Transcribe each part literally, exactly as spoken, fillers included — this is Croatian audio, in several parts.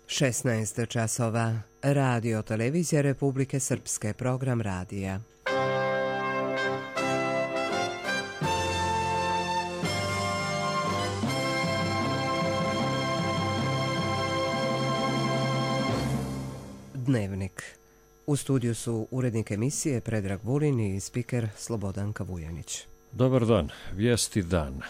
šesnaest časova. Radio televizija Republike Srpske, program radija. Dnevnik. U studiju su urednik emisije Predrag Vulin i spiker Slobodanka Vujanić. Dobar dan, vijesti dana.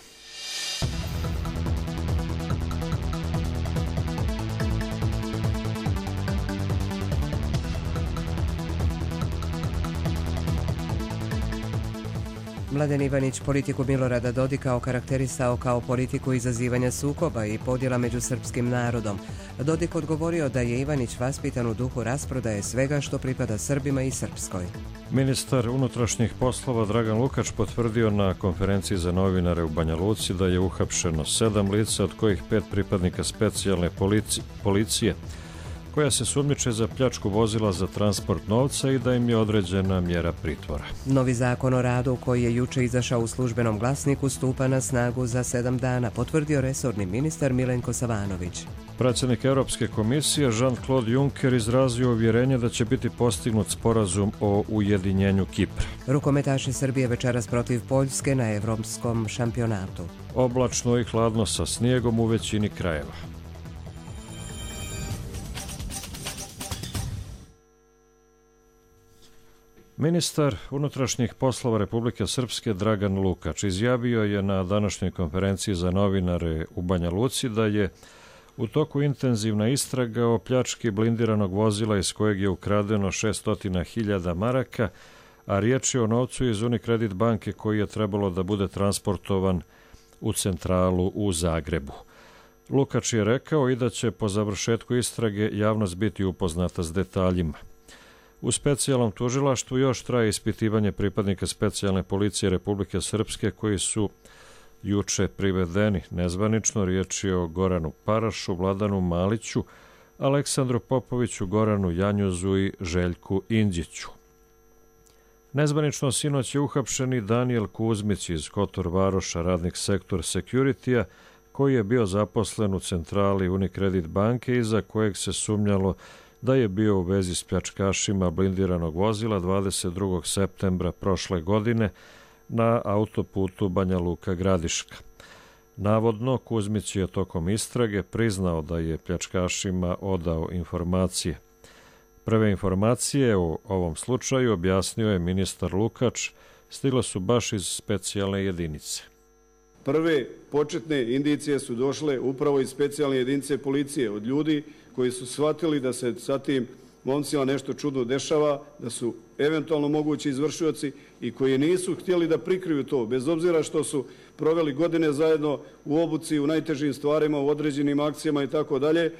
Mladen Ivanić politiku Milorada Dodika okarakterisao kao politiku izazivanja sukoba i podjela među srpskim narodom. Dodik odgovorio da je Ivanić vaspitan u duhu rasprodaje svega što pripada Srbima i Srpskoj. Ministar unutrašnjih poslova Dragan Lukač potvrdio na konferenciji za novinare u Banja Luci da je uhapšeno sedam lica, od kojih pet pripadnika specijalne policije, koja se sumnjiče za pljačku vozila za transport novca i da im je određena mjera pritvora. Novi zakon o radu, koji je juče izašao u službenom glasniku, stupa na snagu za sedam dana, potvrdio resorni ministar Milenko Savanović. Predsjednik Europske komisije Jean-Claude Juncker izrazio uvjerenje da će biti postignut sporazum o ujedinjenju Kipra. Rukometaši Srbije večeras protiv Poljske na evropskom šampionatu. Oblačno i hladno sa snijegom u većini krajeva. Ministar unutrašnjih poslova Republike Srpske Dragan Lukač izjavio je na današnjoj konferenciji za novinare u Banja Luci da je u toku intenzivna istraga o pljački blindiranog vozila iz kojeg je ukradeno šesnaest hiljada maraka, a riječ je o novcu iz Unicredit banke koji je trebalo da bude transportovan u centralu u Zagrebu. Lukač je rekao i da će po završetku istrage javnost biti upoznata s detaljima. U specijalnom tužilaštvu još traje ispitivanje pripadnika specijalne policije Republike Srpske koji su juče privedeni nezvanično. Riječ je o Goranu Parašu, Vladanu Maliću, Aleksandru Popoviću, Goranu Janjuzu i Željku Indjiću. Nezvanično sinoć je uhapšeni Danijel Kuzmić iz Kotor Varoša, radnik sektor Security-a, koji je bio zaposlen u centrali Unicredit banke i za kojeg se sumnjalo da je bio u vezi s pljačkašima blindiranog vozila dvadeset drugog septembra prošle godine na autoputu Banja Luka-Gradiška. Navodno, Kuzmić je tokom istrage priznao da je pljačkašima odao informacije. Prve informacije o ovom slučaju, objasnio je ministar Lukač, stigle su baš iz specijalne jedinice. Prve početne indicije su došle upravo iz specijalne jedinice policije, od ljudi koji su shvatili da se sa tim momcima nešto čudno dešava, da su eventualno mogući izvršioci i koji nisu htjeli da prikriju to, bez obzira što su proveli godine zajedno u obuci, u najtežim stvarima, u određenim akcijama i tako dalje,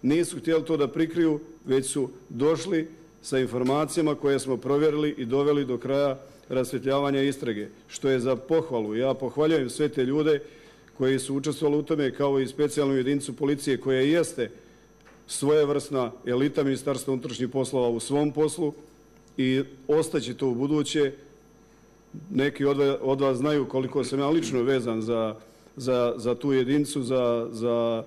nisu htjeli to da prikriju, već su došli sa informacijama koje smo provjerili i doveli do kraja rasvjetljavanja istrage, što je za pohvalu. Ja pohvaljujem sve te ljude koji su učestvovali u tome, kao i specijalnu jedinicu policije koja jeste svojevrsna elita Ministarstva unutrašnjih poslova u svom poslu i ostaće to u buduće. Neki od vas znaju koliko sam ja lično vezan za, za, za tu jedinicu, za, za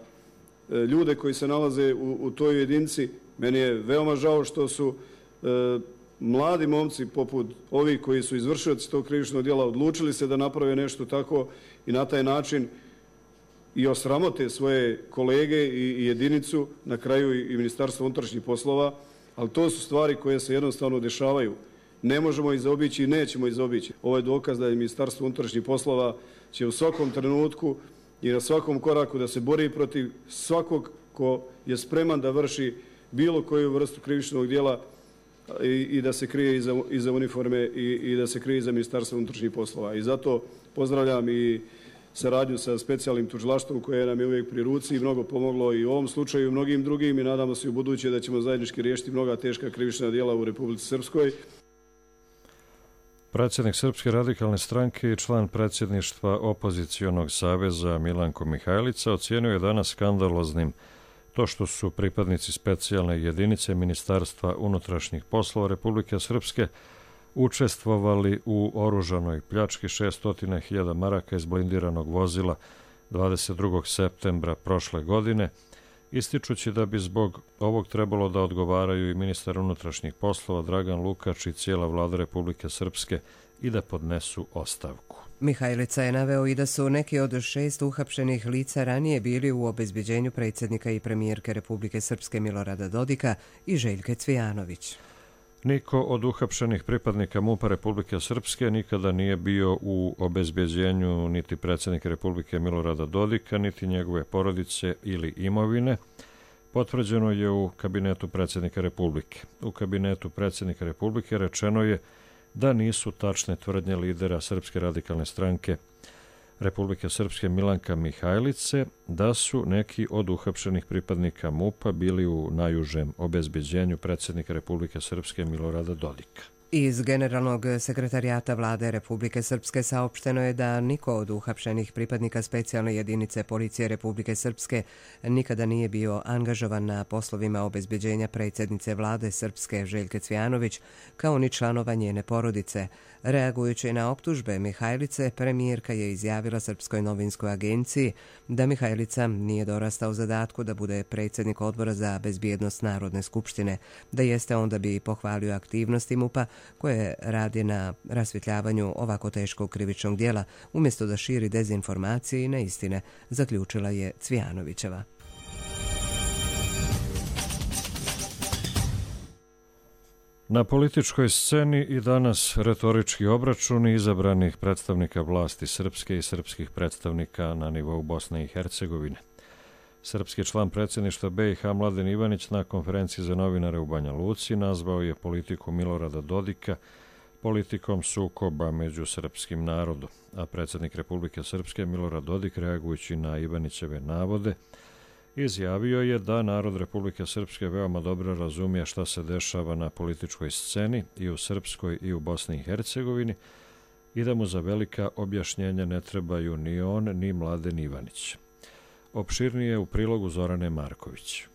ljude koji se nalaze u, u toj jedinici. Meni je veoma žao što su e, mladi momci poput ovih koji su izvršioci tog krivičnog djela odlučili se da naprave nešto tako i na taj način i osramote svoje kolege i jedinicu, na kraju i Ministarstvo unutrašnjih poslova, ali to su stvari koje se jednostavno dešavaju. Ne možemo ih zaobići i nećemo ih zaobići. Ovo je dokaz da je Ministarstvo unutrašnjih poslova će u svakom trenutku i na svakom koraku da se bori protiv svakog ko je spreman da vrši bilo koju vrstu krivičnog djela i, i da se krije iza, iza uniforme i, i da se krije iza Ministarstva unutrašnjih poslova. I zato pozdravljam i saradnju sa specijalnim tužilaštvom koje nam je uvijek pri ruci i mnogo pomoglo i u ovom slučaju i mnogim drugim i nadamo se u buduće da ćemo zajednički riješiti mnoga teška krivična djela u Republici Srpskoj. Predsjednik Srpske radikalne stranke i član predsjedništva opozicionog saveza Milanko Mihajlica ocijenio je danas skandaloznim to što su pripadnici specijalne jedinice Ministarstva unutrašnjih poslova Republike Srpske učestvovali u oružanoj pljački šesnaest hiljada maraka iz blindiranog vozila dvadeset drugog septembra prošle godine ističući da bi zbog ovog trebalo da odgovaraju i ministar unutrašnjih poslova Dragan Lukač i cijela vlada Republike Srpske i da podnesu ostavku. Mihajlica je naveo i da su neki od šest uhapšenih lica ranije bili u obezbeđenju predsjednika i premijerke Republike Srpske Milorada Dodika i Željke Cvijanović. Niko od uhapšenih pripadnika MUP-a Republike Srpske nikada nije bio u obezbeđenju niti predsjednika Republike Milorada Dodika, niti njegove porodice ili imovine. Potvrđeno je u kabinetu predsjednika Republike. U kabinetu predsjednika Republike rečeno je da nisu tačne tvrdnje lidera Srpske radikalne stranke Republike Srpske Milanka Mihajlice da su neki od uhapšenih pripadnika MUP-a bili u najužem obezbeđenju predsjednika Republike Srpske Milorada Dodika. Iz Generalnog sekretarijata vlade Republike Srpske saopšteno je da niko od uhapšenih pripadnika specijalne jedinice policije Republike Srpske nikada nije bio angažovan na poslovima obezbeđenja predsjednice vlade Srpske Željke Cvijanović, kao ni članova njene porodice. Reagujući na optužbe Mihajlice, premijerka je izjavila Srpskoj novinskoj agenciji da Mihajlica nije dorastao zadatku da bude predsjednik odbora za bezbjednost Narodne skupštine. Da jeste, onda bi pohvalio aktivnosti MUP-a koje radi na rasvjetljavanju ovako teškog krivičnog djela, umjesto da širi dezinformacije i neistine, zaključila je Cvijanovićeva. Na političkoj sceni i danas retorički obračuni izabranih predstavnika vlasti Srpske i srpskih predstavnika na nivou Bosne i Hercegovine. Srpski član predsjedništva B i H Mladen Ivanić na konferenciji za novinare u Banja Luci nazvao je politiku Milorada Dodika politikom sukoba među srpskim narodom, a predsjednik Republike Srpske Milorad Dodik, reagujući na Ivanićeve navode, izjavio je da narod Republike Srpske veoma dobro razumije šta se dešava na političkoj sceni i u Srpskoj i u Bosni i Hercegovini i da mu za velika objašnjenja ne trebaju ni on ni Mladen Ivanić. Opširnije u prilogu Zorane Marković.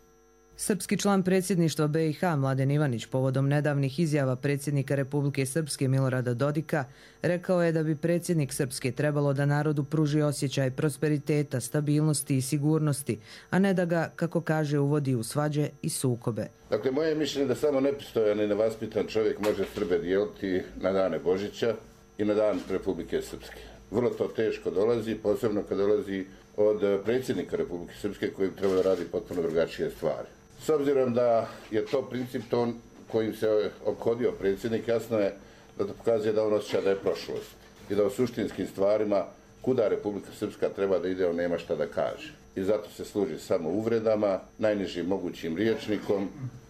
Srpski član predsjedništva B i H Mladen Ivanić povodom nedavnih izjava predsjednika Republike Srpske Milorada Dodika rekao je da bi predsjednik Srpske trebalo da narodu pruži osjećaj prosperiteta, stabilnosti i sigurnosti, a ne da ga, kako kaže, uvodi u svađe i sukobe. Dakle, moje mišljenje da samo nepristojan i nevaspitan čovjek može Srbe dijeliti na dane Božića i na dan Republike Srpske. Vrlo to teško dolazi, posebno kad dolazi od predsjednika Republike Srpske koji bi trebao da radi potpuno drugačije stvari. S obzirom da je to princip ton kojim se ophodio predsjednik, jasno je da to pokazuje da on osjeća da je prošlost i da u suštinskim stvarima kuda Republika Srpska treba da ide, on nema šta da kaže. I zato se služi samo uvredama, najnižim mogućim rječnikom,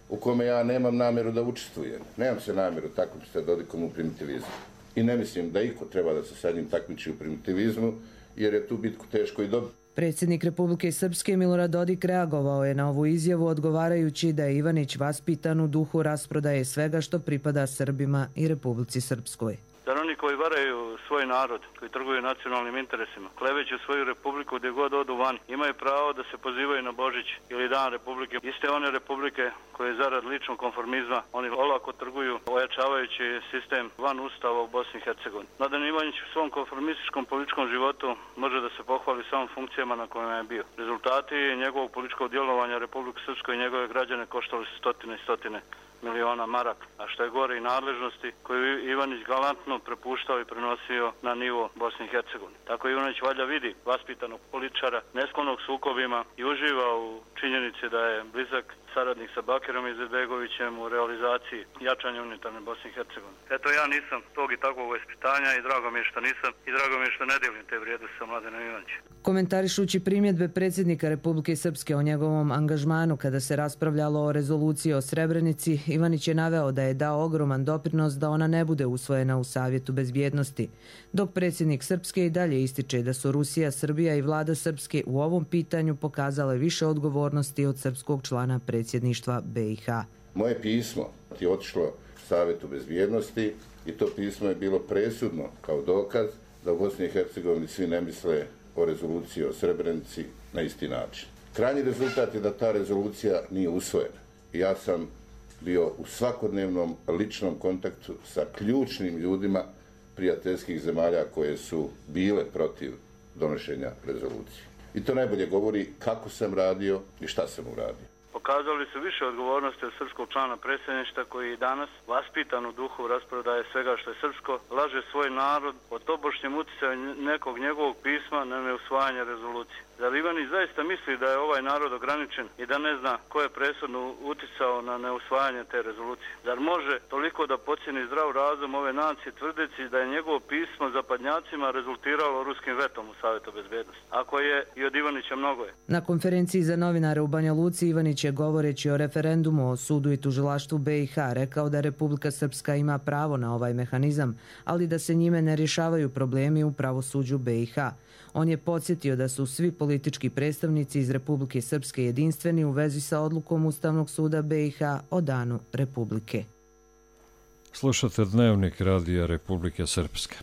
u kome ja nemam namjeru da učestvujem. Nemam se namjeru takmičiti sa Dodikom u primitivizmu. I ne mislim da iko treba da se sa njim takmiči u primitivizmu, jer je tu bitku teško i dobiti. Predsjednik Republike Srpske Milorad Dodik reagovao je na ovu izjavu odgovarajući da je Ivanić vaspitan u duhu rasprodaje svega što pripada Srbima i Republici Srpskoj. Da oni koji varaju svoj narod, koji trguju nacionalnim interesima, kleveću svoju republiku gdje god odu van, imaju pravo da se pozivaju na Božić ili Dan Republike. Iste one republike koje zarad ličnog konformizma oni olako trguju, ojačavajući sistem van ustava u Bosni i Hercegovini. Mladen Ivanić u svom konformističkom političkom životu može da se pohvali samo funkcijama na kojima je bio. Rezultati njegovog političkog djelovanja Republike Srpskoj i njegove građane koštali su stotine i stotine miliona maraka, a što je gore i nadležnosti koju Ivanić galantno prepuštao i prenosio na nivo Bosne i Hercegovine. Tako Ivanić valjda vidi vaspitanog političara, nesklonog sukobima i uživa u činjenici da je blizak saradnik sa Bakirom Izetbegovićem u realizaciji jačanja unitarne Bosne i Hercegovine. Eto, ja nisam tog i takvog vaspitanja i drago mi je što nisam i drago mi je što ne delim te vrijednosti sa Mladenom Ivanićem. Komentarišući primjedbe predsjednika Republike Srpske o njegovom angažmanu kada se raspravljalo o rezoluciji o Srebrenici, Ivanić je naveo da je dao ogroman doprinos da ona ne bude usvojena u Savjetu bezbjednosti, dok predsjednik Srpske i dalje ističe da su Rusija, Srbija i vlada Srpske u ovom pitanju pokazale više odgovornosti od srpskog člana predsjedništva B i H. Moje pismo je otišlo Savjetu bezbjednosti i to pismo je bilo presudno kao dokaz da u Bosni i Hercegovini svi ne misle o rezoluciji o Srebrenici na isti način. Krajnji rezultat je da ta rezolucija nije usvojena. Ja sam bio u svakodnevnom ličnom kontaktu sa ključnim ljudima prijateljskih zemalja koje su bile protiv donošenja rezolucije. I to najbolje govori kako sam radio i šta sam uradio. Pokazali su više odgovornosti od srpskog člana predsjedništva koji danas, vaspitan u duhu rasprodaje svega što je srpsko, laže svoj narod o tobošnjem utjecaju nekog njegovog pisma na neusvajanje rezolucije. Zar Ivanić zaista misli da je ovaj narod ograničen i da ne zna ko je presudno utjecao na neusvajanje te rezolucije? Zar može toliko da pocijeni zdrav razum ove nacije tvrdeći da je njegovo pismo zapadnjacima rezultiralo ruskim vetom u Savjetu bezbednosti? Ako je, i od Ivanića mnogo je. Na konferenciji za novinare u Banja Luci Ivanić je govoreći o referendumu o sudu i tužilaštvu B i H rekao da Republika Srpska ima pravo na ovaj mehanizam, ali da se njime ne rješavaju problemi u pravosuđu B i H. On je podsjetio da su svi politički predstavnici iz Republike Srpske jedinstveni u vezi sa odlukom Ustavnog suda B i H o danu Republike. Slušate Dnevnik Radija Republike Srpske.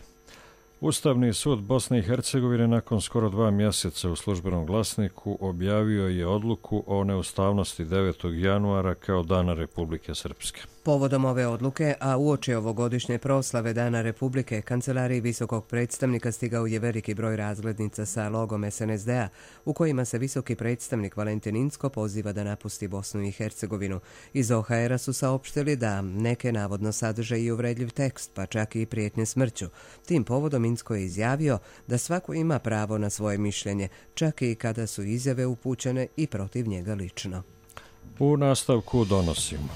Ustavni sud Bosne i Hercegovine nakon skoro dva mjeseca u Službenom glasniku objavio je odluku o neustavnosti devetog januara kao Dana Republike Srpske. Povodom ove odluke, a uoči ovogodišnje proslave Dana Republike, kancelariji visokog predstavnika stigao je veliki broj razglednica sa logom S N S D-a, u kojima se visoki predstavnik Valentin Incko poziva da napusti Bosnu i Hercegovinu. Iz O H R-a su saopštili da neke navodno sadrže i uvredljiv tekst, pa čak i prijetnje smrću. Tim povodom Incko je izjavio da svako ima pravo na svoje mišljenje, čak i kada su izjave upućene i protiv njega lično. U nastavku donosimo.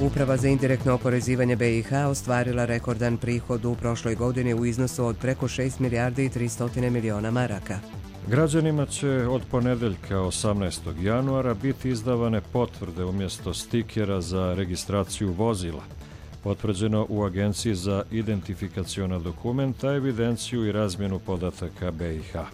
Uprava za indirektno oporezivanje B i H ostvarila rekordan prihod u prošloj godini u iznosu od preko šest milijardi i tristo miliona maraka. Građanima će od ponedeljka osamnaestog januara biti izdavane potvrde umjesto stikera za registraciju vozila. Potvrđeno u Agenciji za identifikaciona dokumenta, evidenciju i razmjenu podataka B i H.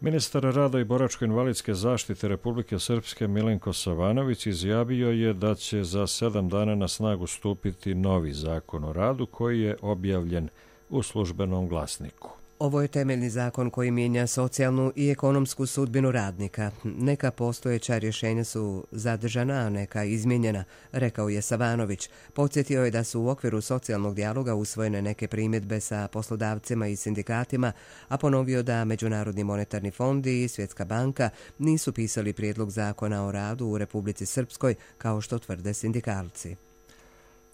Ministar rada i boračko-invalidske zaštite Republike Srpske Milenko Savanović izjavio je da će za sedam dana na snagu stupiti novi zakon o radu koji je objavljen u Službenom glasniku. Ovo je temeljni zakon koji mijenja socijalnu i ekonomsku sudbinu radnika. Neka postojeća rješenja su zadržana, a neka izmijenjena, rekao je Savanović. Podsjetio je da su u okviru socijalnog dijaloga usvojene neke primjedbe sa poslodavcima i sindikatima, a ponovio da Međunarodni monetarni fond i Svjetska banka nisu pisali prijedlog zakona o radu u Republici Srpskoj, kao što tvrde sindikalci.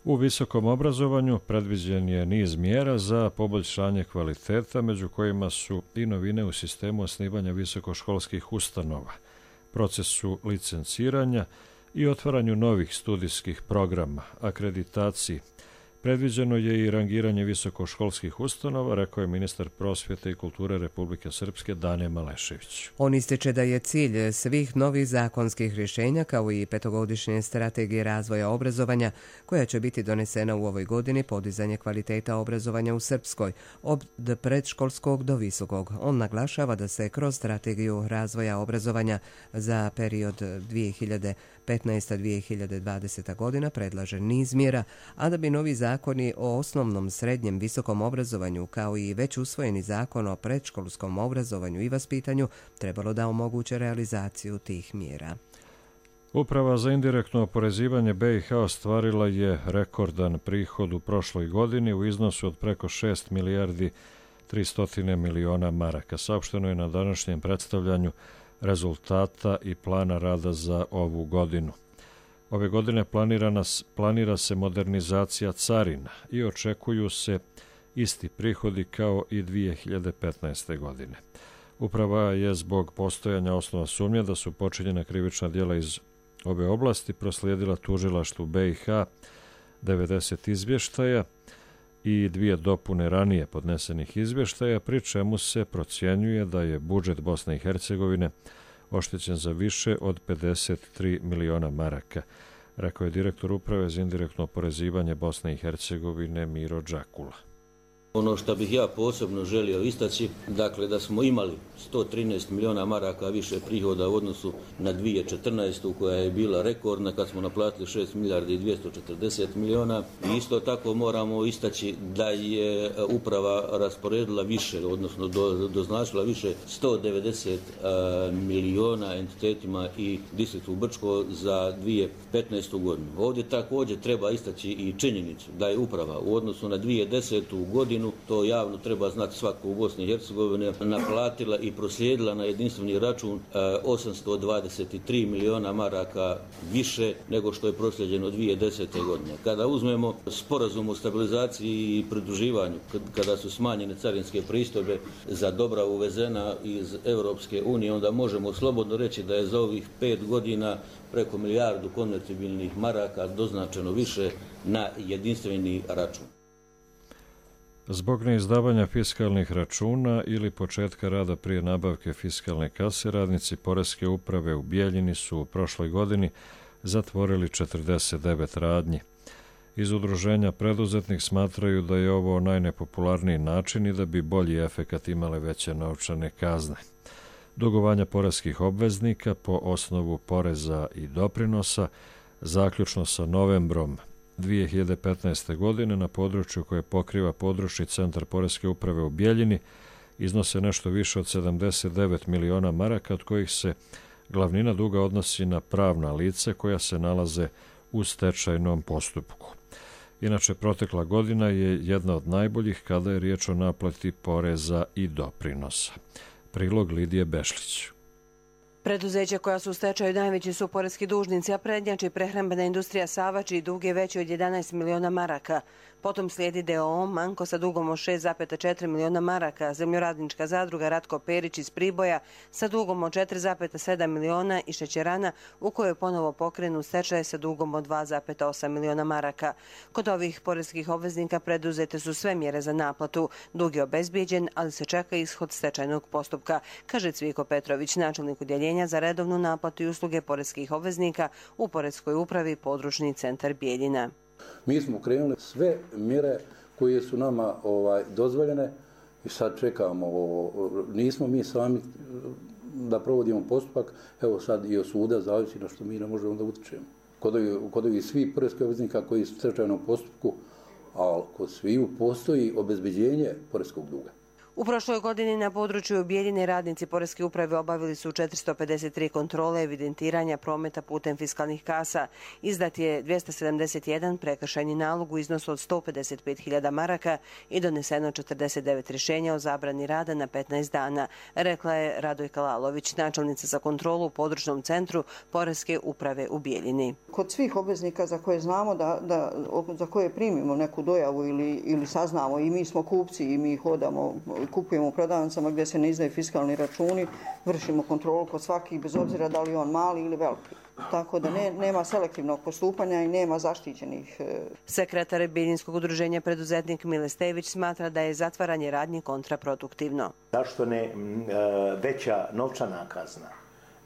U visokom obrazovanju predviđen je niz mjera za poboljšanje kvaliteta, među kojima su i novine u sistemu osnivanja visokoškolskih ustanova, procesu licenciranja i otvaranju novih studijskih programa, akreditaciji. Predviđeno je i rangiranje visokoškolskih ustanova, rekao je ministar prosvjete i kulture Republike Srpske Dane Malešević. On ističe da je cilj svih novih zakonskih rješenja kao i petogodišnje strategije razvoja obrazovanja, koja će biti donesena u ovoj godini, podizanje kvaliteta obrazovanja u Srpskoj, od predškolskog do visokog. On naglašava da se kroz strategiju razvoja obrazovanja za period dvije hiljade petnaesta do dvije hiljade dvadeseta godina predlaže niz mjera, a da bi novi zakoni o osnovnom, srednjem, visokom obrazovanju kao i već usvojeni zakon o predškolskom obrazovanju i vaspitanju trebalo da omoguće realizaciju tih mjera. Uprava za indirektno oporezivanje B i H ostvarila je rekordan prihod u prošloj godini u iznosu od preko šest milijardi tristo miliona maraka. Saopšteno je na današnjem predstavljanju rezultata i plana rada za ovu godinu. Ove godine planirana, planira se modernizacija carina i očekuju se isti prihodi kao i dvije hiljade petnaeste. godine. Uprava je zbog postojanja osnova sumnje da su počinjena krivična djela iz ove oblasti proslijedila tužilaštvu B i H devedeset izvještaja i dvije dopune ranije podnesenih izvještaja, pri čemu se procjenjuje da je budžet Bosne i Hercegovine oštećen za više od pedeset tri miliona maraka, rekao je direktor Uprave za indirektno oporezivanje Bosne i Hercegovine Miro Đakula. Ono što bih ja posebno želio istaći, dakle da smo imali sto trinaest milijuna maraka više prihoda u odnosu na dvije tisuće četrnaestu koja je bila rekordna kad smo naplatili šest milijardi i dvjesto četrdeset milijuna. I isto tako moramo istaći da je uprava rasporedila više, odnosno do, doznačila više sto devedeset uh, milijuna entitetima i distriktu Brčko za dvije tisuće petnaestu godinu. Ovdje također treba istaći i činjenicu da je uprava u odnosu na dvije tisuće desetu godinu, to javno treba znati svako u Bosni i Hercegovini, naplatila i proslijedila na jedinstveni račun osamsto dvadeset tri milijuna maraka više nego što je proslijeđeno dvije tisuće desete godine. Kada uzmemo sporazum o stabilizaciji i pridruživanju, kada su smanjene carinske pristojbe za dobra uvezena iz Europske unije, onda možemo slobodno reći da je za ovih pet godina preko milijardu konvertibilnih maraka doznačeno više na jedinstveni račun. Zbog neizdavanja fiskalnih računa ili početka rada prije nabavke fiskalne kase, radnici Poreske uprave u Bijeljini su u prošloj godini zatvorili četrdeset devet radnji. Iz udruženja preduzetnih smatraju da je ovo najnepopularniji način i da bi bolji efekat imale veće novčane kazne. Dugovanja poreskih obveznika po osnovu poreza i doprinosa, zaključno sa novembrom dvije hiljade petnaeste. godine na području koje pokriva područni centar Poreske uprave u Bijeljini iznose nešto više od sedamdeset devet miliona maraka, od kojih se glavnina duga odnosi na pravna lice koja se nalaze u stečajnom postupku. Inače, protekla godina je jedna od najboljih kada je riječ o naplati poreza i doprinosa. Prilog Lidije Bešlić. Preduzeća koja su u stečaju najveći su poreski dužnici, a prednjači prehrambena industrija Sava, čiji dug je veći od jedanaest miliona maraka. Potom slijedi D O O Manko sa dugom od šest zarez četiri miliona maraka, Zemljoradnička zadruga Ratko Perić iz Priboja sa dugom od četiri zarez sedam miliona i Šećerana u kojoj je ponovo pokrenu stečaj sa dugom od dva zarez osam miliona maraka. Kod ovih poreskih obveznika preduzete su sve mjere za naplatu. Dug je obezbijeđen, ali se čeka ishod stečajnog postupka, kaže Cviko Petrović, načelnik udjeljenja za redovnu naplatu i usluge poreskih obveznika u Poreskoj upravi područni centar Bijeljina. Mi smo krenuli sve mjere koje su nama ovaj, dozvoljene i sad čekamo. Nismo mi sami da provodimo postupak, evo sad i od suda zavisi na što mi ne možemo da utičemo. Kod ovih, kod ovih svih poreskih obveznika koji su u stečajnom postupku, a kod sviju postoji obezbeđenje poreskog duga. U prošloj godini na području Bijeljine radnici Poreske uprave obavili su četiristo pedeset tri kontrole evidentiranja prometa putem fiskalnih kasa. Izdat je dvjesto sedamdeset jedan prekršajni nalog u iznosu od sto pedeset pet hiljada maraka i doneseno četrdeset devet rješenja o zabrani rada na petnaest dana, rekla je Radojka Lalović, načelnica za kontrolu u područnom centru Poreske uprave u Bijeljini. Kod svih obveznika za koje znamo da, da za koje primimo neku dojavu ili, ili saznamo i mi smo kupci i mi hodamo, kupujemo u prodavnicama gdje se ne izdaju fiskalni računi, vršimo kontrolu kod svakih bez obzira da li on mali ili veliki. Tako da ne, nema selektivnog postupanja i nema zaštićenih. Sekretar Bijeljinskog udruženja preduzetnik Mile Stević smatra da je zatvaranje radnji kontraproduktivno. Zašto ne veća novčana kazna,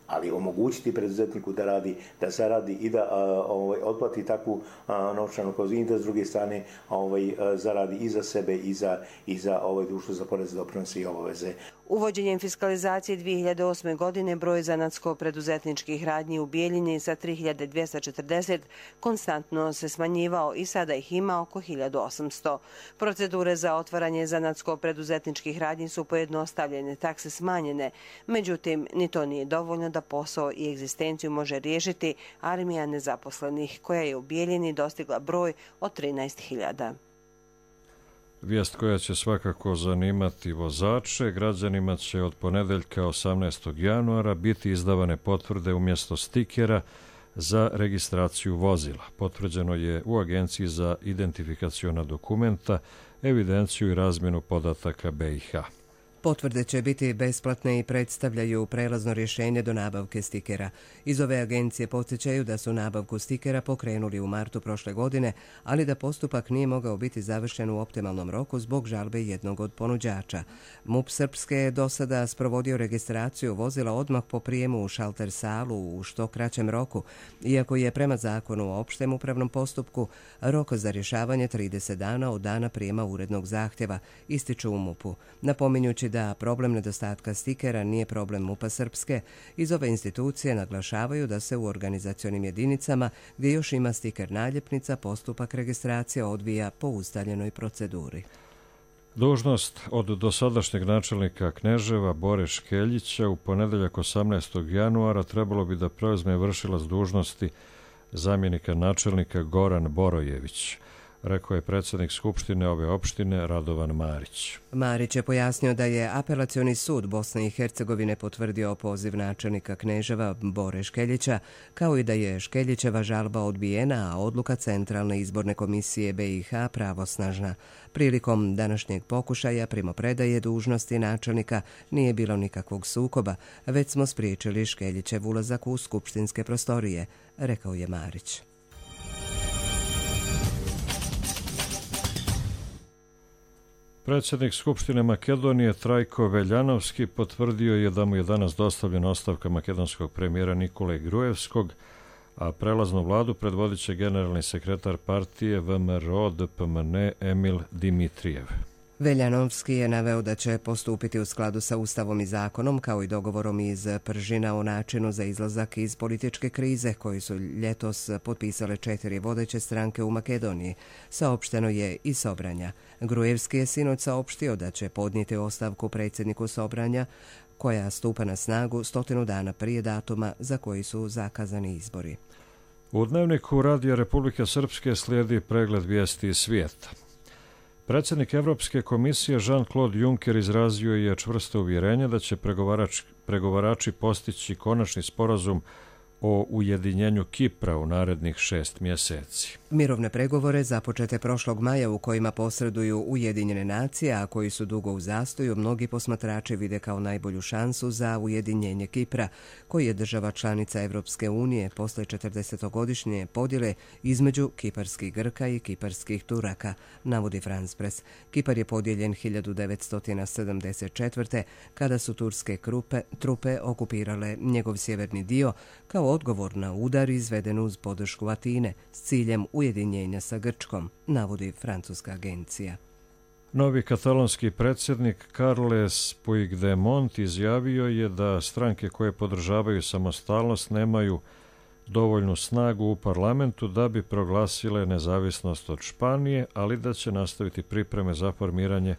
ali omogućiti preduzetniku da radi, da zaradi i da ovaj, otplati takvu a, novčanu kaznu i da s druge strane ovaj, a, zaradi i za sebe i za, i za ovaj, društvo za porez, doprinose i obaveze. Uvođenjem fiskalizacije dvije hiljade osme. godine broj zanatsko-preduzetničkih radnji u Bijeljini sa tri hiljade dvjesto četrdeset konstantno se smanjivao i sada ih ima oko hiljadu osamsto. Procedure za otvaranje zanatsko-preduzetničkih radnji su pojednostavljene, takse smanjene. Međutim, ni to nije dovoljno da posao i egzistenciju može riješiti armija nezaposlenih, koja je u Bijeljini dostigla broj od trinaest hiljada. Vijest koja će svakako zanimati vozače, građanima će od ponedeljka osamnaestog januara biti izdavane potvrde umjesto stikera za registraciju vozila. Potvrđeno je u Agenciji za identifikaciona dokumenta, evidenciju i razmjenu podataka B i H. Potvrde će biti besplatne i predstavljaju prelazno rješenje do nabavke stikera. Iz ove agencije podsjećaju da su nabavku stikera pokrenuli u martu prošle godine, ali da postupak nije mogao biti završen u optimalnom roku zbog žalbe jednog od ponuđača. MUP Srpske je do sada sprovodio registraciju vozila odmah po prijemu u šalter salu u što kraćem roku, iako je prema zakonu o opštem upravnom postupku rok za rješavanje trideset dana od dana prijema urednog zahtjeva, ističu u MUP-u, napominjući da problem nedostatka stikera nije problem MUP-a Srpske. Iz ove institucije naglašavaju da se u organizacionim jedinicama gdje još ima stiker naljepnica postupak registracije odvija po ustaljenoj proceduri. Dužnost od dosadašnjeg načelnika Kneževa Bore Škeljića u ponedeljak osamnaestog januara trebalo bi da preuzme vršilac dužnosti zamjenika načelnika Goran Borojević, rekao je predsjednik Skupštine ove opštine Radovan Marić. Marić je pojasnio da je Apelacioni sud Bosne i Hercegovine potvrdio opoziv načelnika Kneževa Bore Škeljića, kao i da je Škeljićeva žalba odbijena, a odluka Centralne izborne komisije B i H pravosnažna. Prilikom današnjeg pokušaja primopredaje dužnosti načelnika nije bilo nikakvog sukoba, već smo spriječili Škeljićev ulazak u skupštinske prostorije, rekao je Marić. Predsjednik Skupštine Makedonije Trajko Veljanovski potvrdio je da mu je danas dostavljena ostavka makedonskog premijera Nikole Grujevskog, a prelaznu vladu predvodit će generalni sekretar partije V M R O D P M N Emil Dimitrijev. Veljanovski je naveo da će postupiti u skladu sa Ustavom i zakonom, kao i dogovorom iz Pržina o načinu za izlazak iz političke krize koji su ljetos potpisale četiri vodeće stranke u Makedoniji. Saopšteno je i Sobranja. Grujevski je sinoć saopštio da će podnijeti ostavku predsjedniku Sobranja, koja stupa na snagu stotinu dana prije datuma za koji su zakazani izbori. U dnevniku Radija Republike Srpske slijedi pregled vijesti iz svijeta. Predsjednik Evropske komisije Jean-Claude Juncker izrazio je čvrsto uvjerenje da će pregovarač, pregovarači postići konačni sporazum o ujedinjenju Kipra u narednih šest mjeseci. Mirovne pregovore započete prošlog maja u kojima posreduju Ujedinjene nacije, a koji su dugo u zastoju, mnogi posmatrači vide kao najbolju šansu za ujedinjenje Kipra, koji je država članica Evropske unije posle četrdesetogodišnje podjele između kiparskih Grka i kiparskih Turaka, navodi France Press. Kipar je podijeljen hiljadu devetsto sedamdeset četvrte. kada su turske krupe, trupe okupirale njegov sjeverni dio kao odgovor na udar izveden uz podršku Atine s ciljem ujedinjenja sa Grčkom, navodi francuska agencija. Novi katalonski predsjednik Carles Puigdemont izjavio je da stranke koje podržavaju samostalnost nemaju dovoljnu snagu u parlamentu da bi proglasile nezavisnost od Španije, ali da će nastaviti pripreme za formiranje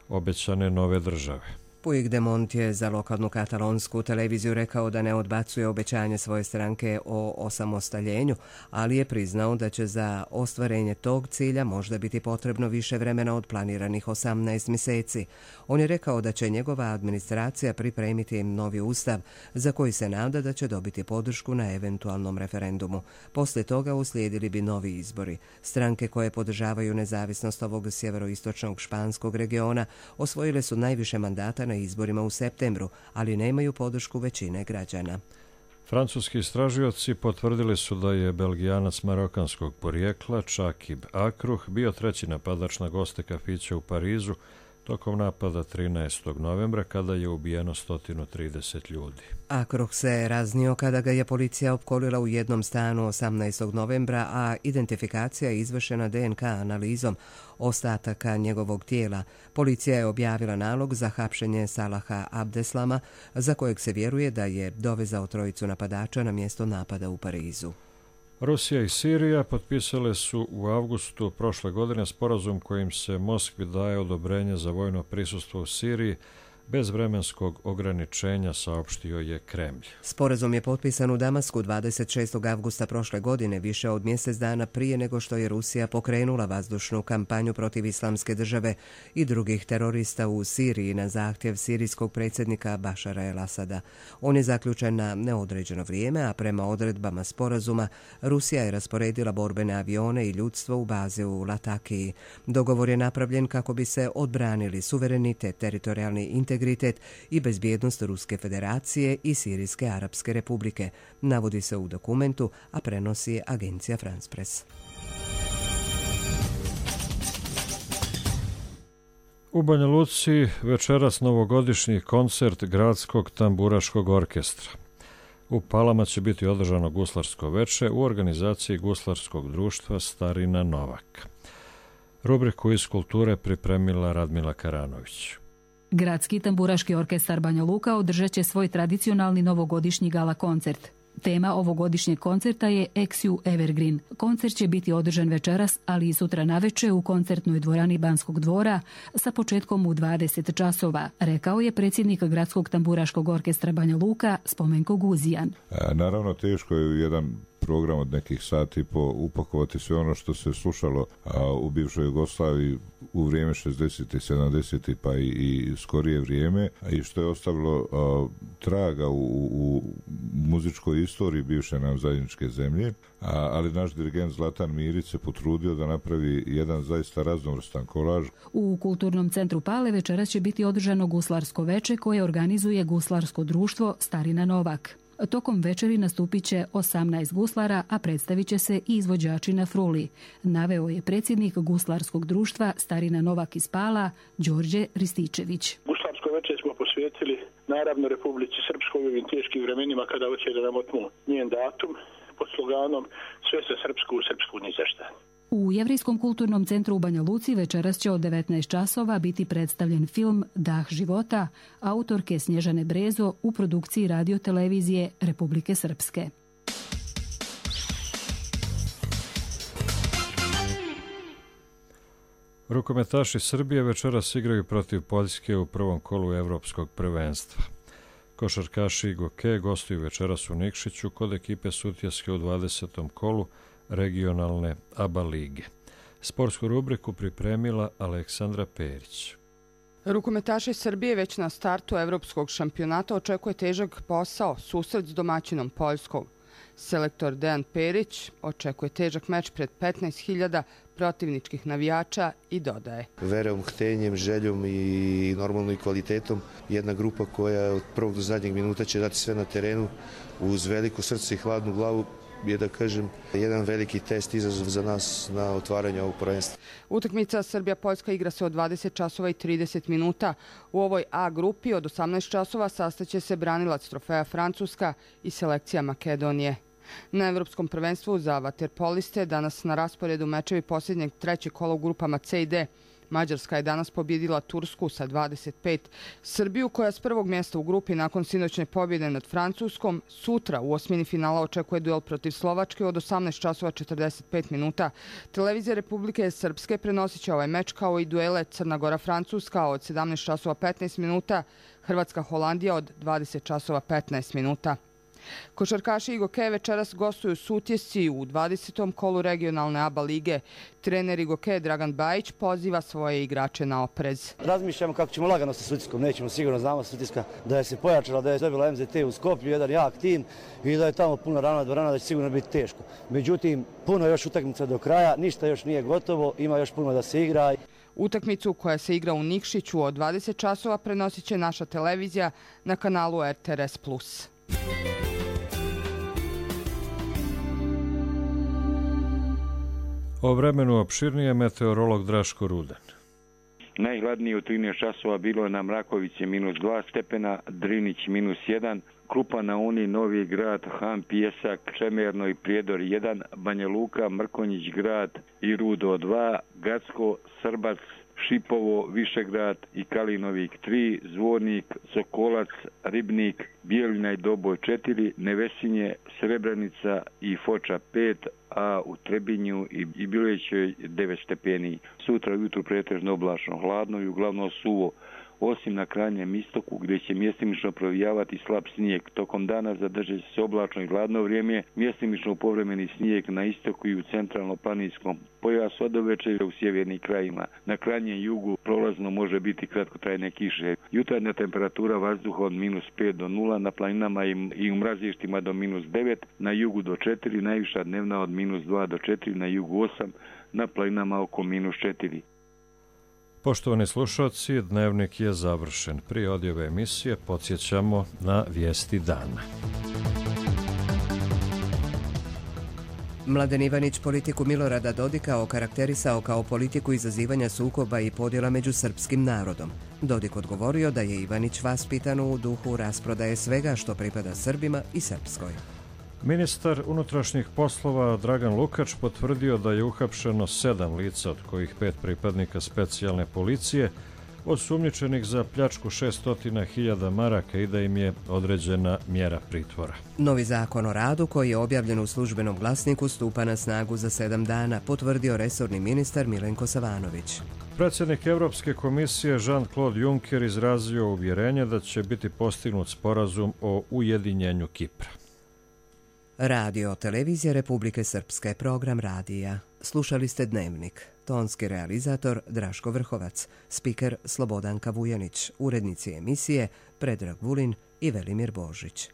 obećane nove države. Puigdemont je za lokalnu katalonsku televiziju rekao da ne odbacuje obećanje svoje stranke o osamostaljenju, ali je priznao da će za ostvarenje tog cilja možda biti potrebno više vremena od planiranih osamnaest mjeseci. On je rekao da će njegova administracija pripremiti novi ustav, za koji se nada da će dobiti podršku na eventualnom referendumu. Poslije toga uslijedili bi novi izbori. Stranke koje podržavaju nezavisnost ovog sjeveroistočnog španskog regiona osvojile su najviše mandata na izborima u septembru, ali nemaju podršku većine građana. Francuski istražioci potvrdili su da je Belgijanac marokanskog porijekla Čakib Akruh bio treći napadač na goste kafića u Parizu tokom napada trinaestog novembra kada je ubijeno sto trideset ljudi. Akruh se raznio kada ga je policija opkolila u jednom stanu osamnaestog novembra, a identifikacija je izvršena D N K analizom ostataka njegovog tijela. Policija je objavila nalog za hapšenje Salaha Abdeslama, za kojeg se vjeruje da je dovezao trojicu napadača na mjesto napada u Parizu. Rusija i Sirija potpisale su u avgustu prošle godine sporazum kojim se Moskvi daje odobrenje za vojno prisustvo u Siriji bez vremenskog ograničenja, saopštio je Kremlj. Sporazum je potpisan u Damasku dvadeset šestog avgusta prošle godine, više od mjesec dana prije nego što je Rusija pokrenula vazdušnu kampanju protiv Islamske države i drugih terorista u Siriji na zahtjev sirijskog predsjednika Bašara el-Asada. On je zaključen na neodređeno vrijeme, a prema odredbama sporazuma Rusija je rasporedila borbene avione i ljudstvo u baze u Latakiji. Dogovor je napravljen kako bi se odbranili suverenitet, teritorijalni integritet integritet i bezbjednost Ruske federacije i Sirijske arapske republike, navodi se u dokumentu, a prenosi je agencija France Press. U Banja Luci večeras novogodišnji koncert Gradskog tamburaškog orkestra. U Palama će biti održano guslarsko veče u organizaciji Guslarskog društva Starina Novak. Rubriku iz kulture pripremila Radmila Karanović. Gradski tamburaški orkestar Banja Luka održat će svoj tradicionalni novogodišnji gala koncert. Tema ovogodišnjeg koncerta je Exiu Evergreen. Koncert će biti održan večeras, ali i sutra naveče u koncertnoj dvorani Banskog dvora sa početkom u dvadeset časova, rekao je predsjednik Gradskog tamburaškog orkestra Banja Luka Spomenko Guzijan. A, naravno, teško je u jedan program od nekih sati po upakovati sve ono što se slušalo a, u bivšoj Jugoslaviji u vrijeme šezdesetih, sedamdesetih pa i, i skorije vrijeme i što je ostavilo a, traga u, u muzičkoj istoriji bivše nam zajedničke zemlje, a, ali naš dirigent Zlatan Mirić se potrudio da napravi jedan zaista raznovrstan kolaž. U Kulturnom centru Pale večeras će biti održano guslarsko veče koje organizuje Guslarsko društvo Starina Novak. Tokom večeri nastupit će osamnaest guslara, a predstavit će se i izvođači na fruli, naveo je predsjednik Guslarskog društva Starina Novak iz Pala, Đorđe Rističević. Guslarsko večer smo posvetili naravno Republici Srpskoj u ovim teškim vremenima kada hoće da nam otmu njen datum pod sloganom sve se srpsku u srpsku ni za šta. U Jevrijskom kulturnom centru u Banja Luci večeras će od devetnaest časova biti predstavljen film Dah života autorke Snježane Brezo u produkciji radiotelevizije Republike Srpske. Rukometaši Srbije večeras igraju protiv Poljske u prvom kolu Evropskog prvenstva. Košarkaši Goke gostuju večeras u Nikšiću kod ekipe Sutjeske u dvadesetom kolu regionalne A B A lige. Sportsku rubriku pripremila Aleksandra Perić. Rukometaši Srbije već na startu evropskog šampionata očekuje težak posao, susret s domaćinom Poljskom. Selektor Dejan Perić očekuje težak meč pred petnaest hiljada protivničkih navijača i dodaje. Verom, htenjem, željom i normalno i kvalitetom. Jedna grupa koja od prvog do zadnjeg minuta će dati sve na terenu uz veliko srce i hladnu glavu je, da kažem, jedan veliki test, izazov za nas na otvaranje ovog prvenstva. Utakmica Srbija-Poljska igra se od dvadeset časova i trideset minuta. U ovoj A grupi od osamnaest časova sastaće se branilac trofeja Francuska i selekcija Makedonije. Na Evropskom prvenstvu za vaterpoliste danas na rasporedu mečevi posljednjeg trećeg kola u grupama C i D. Mađarska je danas pobjedila Tursku sa dvadeset pet. Srbiju, koja s prvog mjesta u grupi nakon sinoćne pobjede nad Francuskom, sutra u osmini finala očekuje duel protiv Slovačke od osamnaest časova četrdeset pet minuta. Televizija Republike Srpske prenosit će ovaj meč kao i duele Crna Gora-Francuska od sedamnaest časova petnaest minuta, Hrvatska-Holandija od dvadeset časova petnaest minuta. Košarkaši Igoke večeras gostuju Sutjesci u dvadesetom kolu regionalne A B A lige. Trener Igoke Dragan Bajić poziva svoje igrače na oprez. Razmišljamo kako ćemo lagano sa Sutjeskom, nećemo sigurno, znamo Sutjeska da je se pojačala, da je dobila M Z T u Skoplju, jedan jak tim i da je tamo puno rana dvorana, da će sigurno biti teško. Međutim, puno još utakmica do kraja, ništa još nije gotovo, ima još puno da se igra. Utakmicu koja se igra u Nikšiću od dvadeset časova prenosit će naša televizija na kanalu R T R S plus. O vremenu opširnije meteorolog Draško Rudan. Najhladnije u trinaest časova bilo je na Mrakoviće minus dva stepena, Drinić minus jedan, Krupa na Uni, Novi Grad, Han, Pijesak, Čemerno i Prijedor jedan, Banja Luka, Mrkonjić grad i Rudo dva, Gacko, Srbac, Šipovo, Višegrad i Kalinovik tri, Zvornik, Sokolac, Ribnik, Bijeljina i Doboj četiri, Nevesinje, Srebrenica i Foča pet, a u Trebinju i Bilećoj devet stepeni. Sutra ujutru pretežno oblačno, hladno i uglavnom suvo, osim na krajnjem istoku gdje će mjestimično provijavati slab snijeg. Tokom dana zadržat će se oblačno i hladno vrijeme, mjestimično povremeni snijeg na istoku i u centralno-planinskom pojasu, od uveče u sjevernim krajima. Na krajnjem jugu prolazno može biti kratkotrajne kiše. Jutarnja temperatura vazduha od minus pet do nula, na planinama i u mrazištima do minus devet, na jugu do četiri, najviša dnevna od minus dva do četiri, na jugu osam, na planinama oko minus četiri. Poštovani slušalci, dnevnik je završen. Prije odjave emisije podsjećamo na vijesti dana. Mladen Ivanić politiku Milorada Dodika okarakterisao kao politiku izazivanja sukoba i podjela među srpskim narodom. Dodik odgovorio da je Ivanić vaspitan u duhu rasprodaje svega što pripada Srbima i Srpskoj. Ministar unutrašnjih poslova Dragan Lukač potvrdio da je uhapšeno sedam lica, od kojih pet pripadnika specijalne policije, osumnjičenih za pljačku šesnaest hiljada maraka i da im je određena mjera pritvora. Novi zakon o radu, koji je objavljen u službenom glasniku, stupa na snagu za sedam dana, potvrdio resorni ministar Milenko Savanović. Predsjednik Europske komisije Jean-Claude Juncker izrazio uvjerenje da će biti postignut sporazum o ujedinjenju Kipra. Radio Televizija Republike Srpske, program radija. Slušali ste Dnevnik. Tonski realizator Draško Vrhovac, spiker Slobodanka Vujanić, urednici emisije Predrag Vulin i Velimir Božić.